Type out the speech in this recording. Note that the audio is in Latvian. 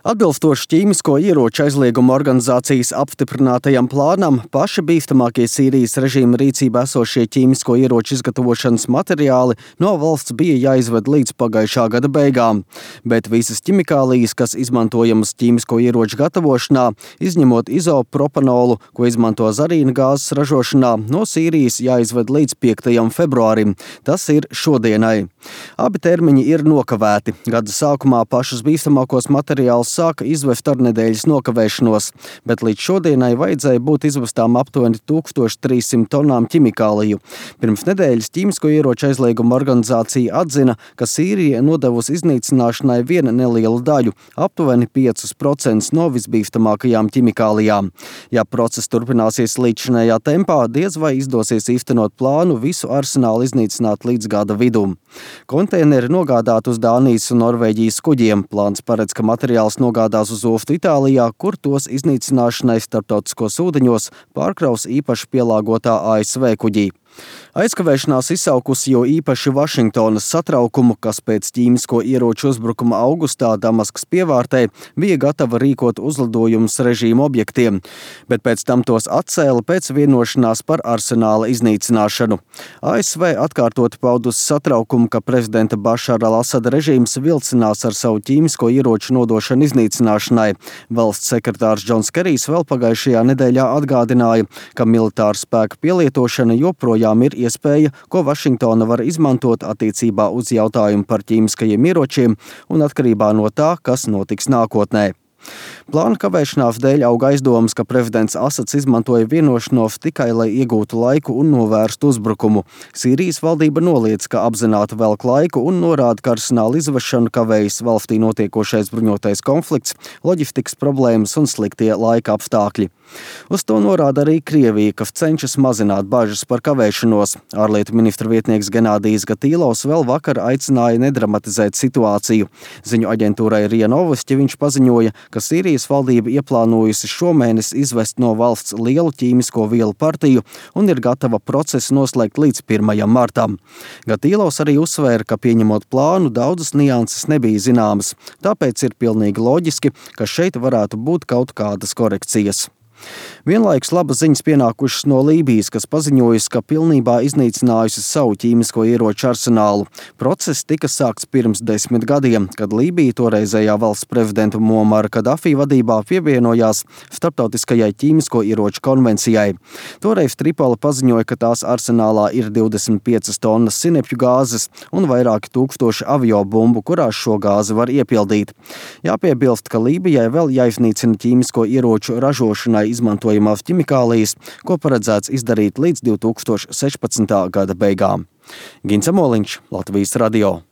Atbilstoši ķīmisko ieroču aizlieguma organizācijas apstiprinātajam plānam, paši bīstamākie Sīrijas režīma rīcībā esošie ķīmisko ieroču izgatavošanas materiāli no valsts bija jāizved līdz pagājušā gada beigām, bet visas ķimikālijas, kas izmantojamas ķīmisko ieroču gatavošanā, izņemot izopropanolu, ko izmanto zarīna gāzes ražošanā, no Sīrijas jāizved līdz 5. februārim. Tas ir šodienai. Abi termiņi ir nokavēti. Gada sākumā pašus bīstamākos materiālus sāka izvest ar nedēļas nokavēšanos, bet līdz šodienai vajadzēja būt izvestām aptuveni 1300 tonām ķimikāliju. Pirms nedēļas ķīmisko ieroču aizlieguma organizācija atzina, ka Sīrija nodevusi iznīcināšanai viena nelielu daļu, aptuveni 5% no visbīstamākajām ķimikālijām. Ja process turpināsies līdzinējā tempā, diez vai izdosies īstenot plānu visu arsenālu iznīcināt līdz gada vidum. Konteineri nogādāt uz Dānijas un Norvēģijas kuģiem. Plāns paredz, ka materiāls nogādās uz oftu Itālijā, kur tos iznīcināšanai starptautiskos ūdeņos pārkraus īpaši pielāgotā ASV kuģī. Aizkavēšanās izsaukusi jo īpaši Vašingtonas satraukumu, kas pēc ķīmisko ieroču uzbrukuma augustā Damaskas pievārtē bija gatava rīkot uzlidojumus režīma objektiem, bet pēc tam tos atcēla pēc vienošanās par arsenāla iznīcināšanu. ASV atkārtoti paudusi satraukumu, ka prezidenta Bašara al-Asada režīms vilcinās ar savu ķīmisko ieroču nodošanu iznīcināšanai. Valsts sekretārs Džons Kerijs vēl pagājušajā nedēļā atgādināja, ka militāra spēka pielietošana joprojām ir iespēja, ko Vašingtona var izmantot attiecībā uz jautājumu par ķīmiskajiem ieročiem un atkarībā no tā, kas notiks nākotnē. Plāna kavēšanās dēļ aug aizdomas, ka prezidents Asads izmantoja vienošanos tikai, lai iegūtu laiku un novērstu uzbrukumu. Sīrijas valdība noliedz, ka apzināti velk laiku un norāda, ka arsenāla izvešanu kavējas valstī notiekošais bruņotais konflikts, loģistikas problēmas un sliktie laika apstākļi. Uz to norāda arī Krievija, kas cenšas mazināt bažas par kavēšanos. Ārlietu ministra vietnieks Genādijs Gatīlovs vēl vakar aicināja nedramatizēt situāciju. Ziņu aģentūrai RIA Novosti viņš paziņoja, ka Sīrijas valdība ieplānojusi šomēnes izvest no valsts lielu ķīmisko vielu partiju un ir gatava procesu noslēgt līdz 1. martam. Gatīlovs arī uzsvēra, ka pieņemot plānu, daudzas nianses nebija zināmas, tāpēc ir pilnīgi loģiski, ka šeit varētu būt kaut kādas korekcijas. Vienlaikus labas ziņas pienākušas no Lībijas, kas paziņojusi, ka pilnībā iznīcinājusi savu ķīmisko ieroču arsenālu. Process tika sākts pirms 10 gadiem, kad Lībija toreizējā valsts prezidenta Muamara Kadafī vadībā pievienojās starptautiskajai ķīmisko ieroču konvencijai. Toreiz Tripola paziņoja, ka tās arsenālā ir 25 tonnas sinepju gāzes un vairāki tūkstoši aviobumbu, kurās šo gāzi var iepildīt. Jāpiebilst, ka Lībijai vēl jāiznīcina ķīmisko ieroču ražošanai izmantojamās ķimikālijas, ko paredzēts izdarīt līdz 2016. gada beigām. Gins Amoliņš, Latvijas radio.